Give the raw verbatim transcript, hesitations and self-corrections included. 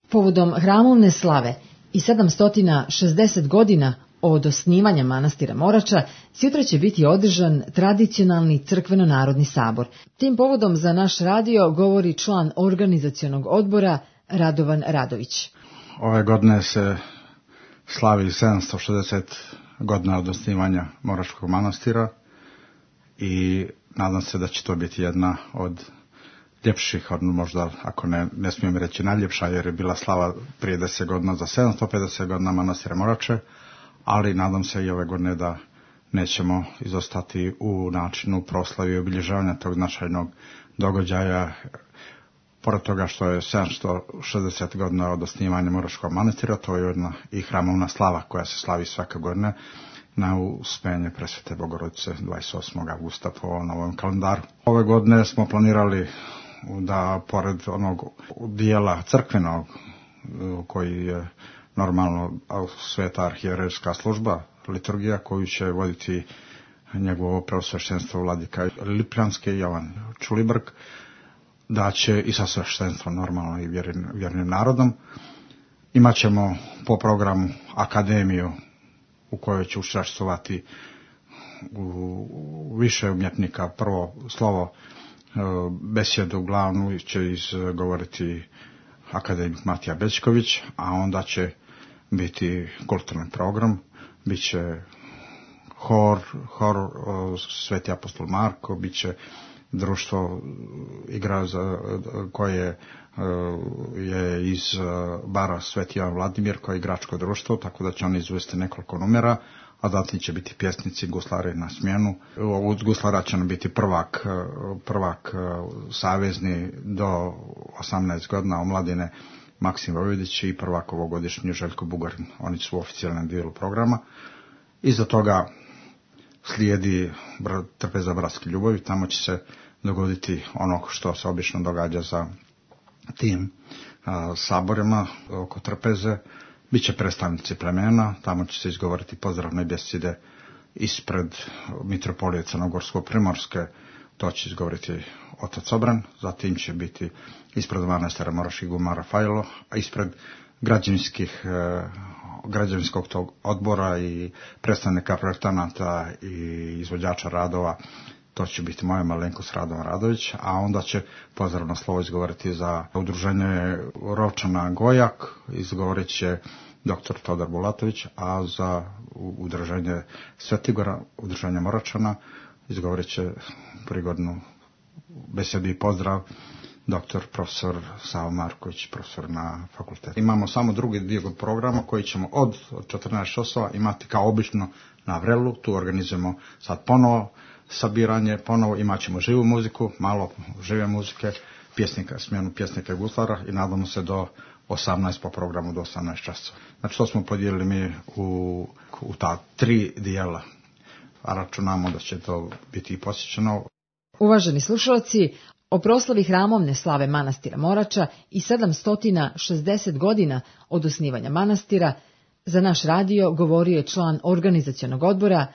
Povodom hramovne slave i sedamsto šezdeset godina od osnivanja manastira Morača, sutra će biti održan tradicionalni crkveno-narodni sabor. Tim povodom za naš radio govori član organizacionog odbora Radovan Radović. Ove godine se slavi sedamsto šezdeset godina od osnivanja Moračkog manastira i nadam se da će to biti jedna od ljepših, možda ako ne, ne smijem reći najljepša, jer je bila slava prije deset godina za sedamsto pedeset godina manastira Morače, ali nadam se i ove godine da nećemo izostati u načinu proslavi i obilježavanja tog značajnog događaja. Pored toga što je sedamsto šezdeset godina od osnivanja Moračkog manastira, to je jedna i hramovna slava koja se slavi svake godine na uspenje Presvete Bogorodice dvadeset osmog avgusta po novom kalendaru. Ove godine smo planirali da pored onog dijela crkvenog koji je normalno sveta arhijerejska služba, liturgija koju će voditi njegovo preosveštenstvo vladika Lipljanski Jovan Čulibrk, da će i sa sveštenstvom normalno i vjernim, vjernim narodom. Imaćemo po programu akademiju u kojoj će učestvovati u više umjetnika. Prvo slovo, besjedu glavnu će izgovoriti akademik Matija Bećković, a onda će biti kulturni program, bit će hor, hor Sveti apostol Marko, bit će društvo igra za, koje je iz bara Sveti Ivan Vladimir, koje je igračko društvo, tako da će oni izvesti nekoliko numera, a zatim će biti pjesnici, guslari na smjenu. Od guslara će nam biti prvak, prvak savezni do osamnaest godina omladine Maksim Vojvodić i prvak ovogodišnji Željko Bugarin. Oni su u oficijalnom dijelu programa. Iza toga slijedi trpeza bratske ljubavi, tamo će se dogoditi ono što se obično događa za tim a, saborima oko trpeze. Biće predstavnici plemena, tamo će se izgovoriti pozdravne besjede ispred mitropolije Crnogorsko-Primorske, to će izgovoriti otac Obran, zatim će biti ispred manastira Moraških Guma Rafajlo, a ispred građevinskih građevinskog tog odbora i predstavnika projektanata i izvođača radova, to će biti moja malenkost Radovan Radović, a onda će pozdravno slovo izgovoriti za udruženje Rovčana Gojak, izgovorit će doktor Todor Bulatović, a za udruženje Svetigora, udruženje Moračana, izgovorit će prigodnu besedu i pozdrav doktor profesor Savo Marković, profesor na fakultetu. Imamo samo drugi dio programa koji ćemo od, od četrnaest časova imati kao obično na Vrelu. Tu organizujemo sad ponovo sabiranje, ponovo imat ćemo živu muziku, malo žive muzike, pjesnika, smjenu pjesnika i guslara i nadamo se do osamnaest po programu, do osamnaest časova. Znači to smo podijelili mi u, u ta tri dijela, a računamo da će to biti i posjećeno. Uvaženi slušalci, o proslavi hramovne slave manastira Morača i sedamsto šezdeset godina od osnivanja manastira za naš radio govorio je član organizacionog odbora